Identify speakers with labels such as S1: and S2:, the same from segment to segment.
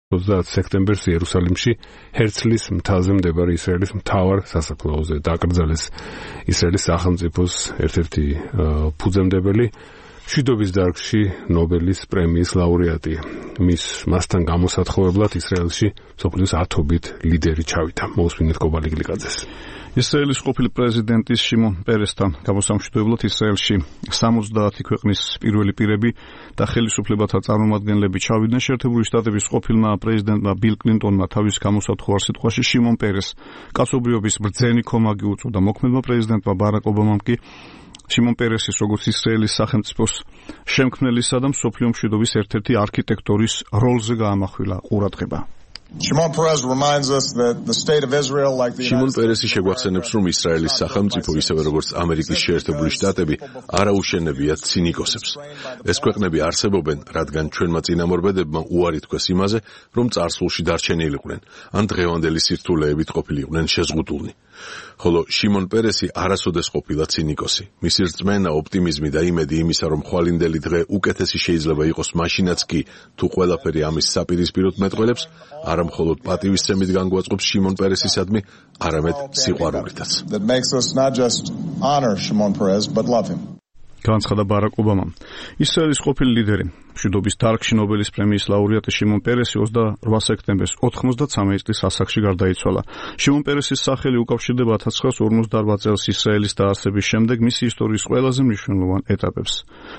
S1: 30 სექტემბერს იერუსალიმში ჰერცლის მთაზე მდებარე ისრაელის მთავარ სასაფლაოზე დაკრძალეს ისრაელის სახელმწიფოს ერთ-ერთი ფუძემდებელი, მშვიდობის დარგში ნობელის პრემიის ლაურეატი. მასთან გამოსათხოვებლად ისრაელში მსოფლიოს 10-ობით ლიდერი ჩავიდა. მოусმინეთ კობალი გლიკაძეს.
S2: ისრაელის ყოფილი პრეზიდენტის შიმონ პერესთან გამოსამშვიდებლად ისრაელში 70 ქვეყნის პირველი პირები და ხელისუფლებათა წარმომადგენლები ჩავიდნენ. შეერთებული შტატების ყოფილმა პრეზიდენტმა ბილ კლინტონმა თავის გამოსათხოვარ სიტყვაში შიმონ პერესს კაცობრიობის ბრძენი ქომაგი უწოდა. მოქმედმა პრეზიდენტმა ბარაკ ობამამ კი შიმონ პერესის როგორც ისრაელის სახელმწიფოს შემქმნელისა და მსოფლიო მშვიდობის ერთ-ერთი არქიტექტორის როლზე გაამახვილა ყურადღება.
S3: Shimon Peres შეგვახსენებს, რომ ისრაელის სახელმწიფო, ისევე როგორც ამერიკის შეერთებული შტატები, არ აუშენებიათ ცინიკოსებს. ეს ქვეყნები არსებობენ, რადგან ჩვენმა წინამორბედებმა უარი თქვეს იმაზე, რომ წარსულში დარჩენილიყვნენ, ან დღევანდელი სირთულეებით ყოფილიყვნენ შეზღუდულნი. ხოლო შიმონ პერესი არასოდეს ყოფილა ცინიკოსი. მისი რწმენა, ოპტიმიზმი და იმედი იმისა, რომ ხვალინდელი დღე უკეთესი შეიძლება იყოს მაშინაც კი, თუ ყველაფერი ამის საპირისპიროდ მეტყველებს, არა მხოლოდ პატივისცემით განგვაწყობს შიმონ პერესისადმი, არამედ სიყვარულითაც.
S2: განცხადა ბარაკ ობამამ. ისრაელის ყოფილი ლიდერი, მშვიდობის დარგში ნობელის პრემიის ლაურეატი შიმონ პერესი 28 სექტემბერს 93 წლის ასაკში გარდაიცვალა. შიმონ პერესის სახელი უკავშირდება 1948 წელს ისრაელის დაარსების შემდეგ მისი ისტორიის ყველაზე მნიშვნელოვან ეტაპებს.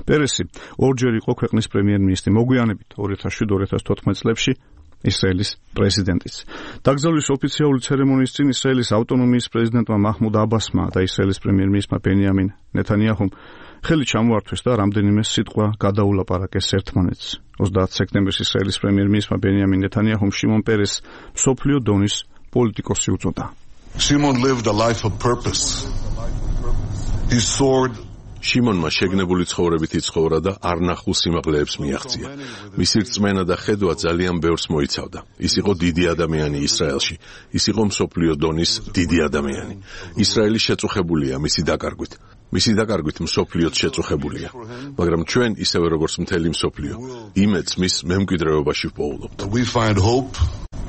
S2: პერესი ორჯერ იყო ქვეყნის პრემიერ-მინისტრი, მოგვიანებით 2007-2014 წლებში ისრაელის პრეზიდენტიც. დაკრძალვის ოფიციალური ცერემონიის წინ ისრაელის ავტონომიის პრეზიდენტმა მაჰმუდ აბასმა და ისრაელის პრემიერ-მინისტრმა ბენიამინ ნეთანიაჰუმ ხელი ჩამოართვეს და რამდენიმე სიტყვა გადაულაპარაკეს ერთმანეთს. 30 სექტემბერს ისრაელის პრემიერ-მინისტრმა ბენიამინ ნეთანიაჰუმ შიმონ პერესს მსოფლიო დონის პოლიტიკოსი უწოდა.
S4: Shimon lived a life of purpose. He soared.
S3: შიმონმა შეგნებული ცხოვრებით იცხოვრა და არნახულ სიმაღლეებს მიაღწია. მისი რწმენა და ხედვა ძალიან ბევრს მოიცავდა. ის იყო დიდი ადამიანი ისრაელში. ის იყო მსოფლიო დონის დიდი ადამიანი. ისრაელი შეწუხებულია მისი დაკარგვით. მისი დაკარგვით მსოფლიოც შეწუხებულია. მაგრამ ჩვენ, ისევე როგორც მთელი მსოფლიო, იმედს მის მემკვიდრეობაში ვპოულობთ.
S4: We find hope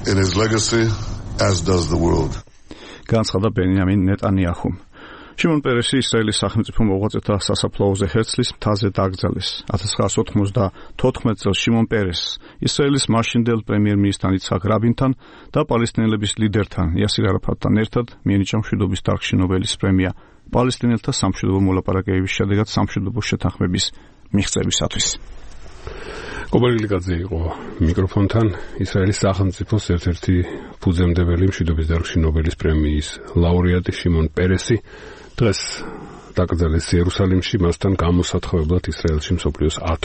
S4: in his legacy, as does the world.
S2: განცხადა ბენიამინ ნეტანიაჰუმ. შიმონ პერესი ისრაელის სახელმწიფო მოღვაწეთა სასაფლაოზე ჰერცლის მთაზე დაკრძალეს. 1994 წელს შიმონ პერესს ისრაელის მაშინდელ პრემიერ-მინისტრთან იცხაკ რაბინთან და პალესტინელების ლიდერთან იასირ არაფატთან ერთად მიენიჭა მშვიდობის დარგში ნობელის პრემია პალესტინელთა სამშვიდობო მოლაპარაკებების შედეგად სამშვიდობო შეთანხმების მიღწევისათვის.
S1: კობალი გლიკაძე იყო მიკროფონთან. ისრაელის სახელმწიფოს ერთ-ერთი ფუძემდებელი, მშვიდობის დარგში ნობელის პრემიის ლაურეატი შიმონ პერესი დღეს დაკრძალეს იერუსალიმში, მასთან გამოსათხოვებლად ისრაელში მსოფლიოს 10